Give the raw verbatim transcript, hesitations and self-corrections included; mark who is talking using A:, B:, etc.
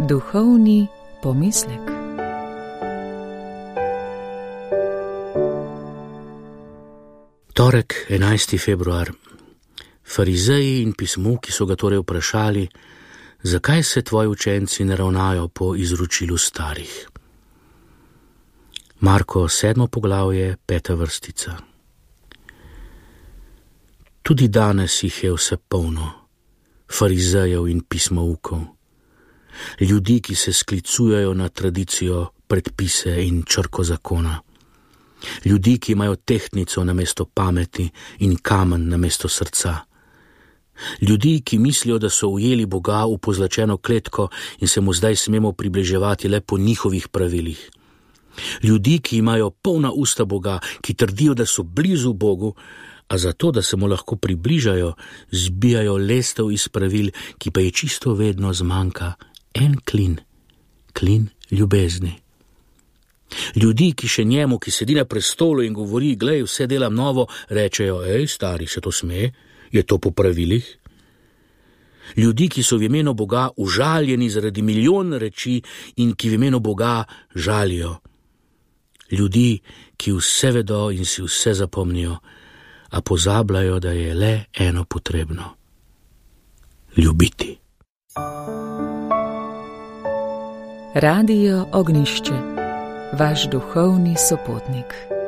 A: Duhovni pomislek.
B: Torek, enajsti februar. Farizeji in pismovki so ga torej vprašali, zakaj se tvoji učenci ne ravnajo po izročilu starih. Marko sedmo poglavje, peta vrstica. Tudi danes jih je vse polno, farizejev in pismovkov, ljudi, ki se sklicujejo na tradicijo, predpise in črko zakona, ljudi, ki imajo tehtnico namesto pameti in kamen namesto srca, ljudi, ki mislijo, da so ujeli Boga v pozlačeno kletko in se mu zdaj smemo približevati le po njihovih pravilih, ljudi, ki imajo polna usta Boga, ki trdijo, da so blizu Bogu, a zato, da se mu lahko približajo, zbijajo lestev iz pravil, ki pa je čisto vedno zmanjka en klin, klin ljubezni. Ljudi, ki še njemu, ki sedi na prestolu in govori, glej, vse delam novo, rečejo, ej, stari, se to sme, je to po pravilih? Ljudi, ki so v imenu Boga užaljeni zaradi milijon reči in ki v imenu Boga žalijo. Ljudi, ki vse vedo in si vse zapomnijo, a pozabljajo, da je le eno potrebno. Ljubiti.
A: Radio Ognjišče, vaš duhovni sopotnik.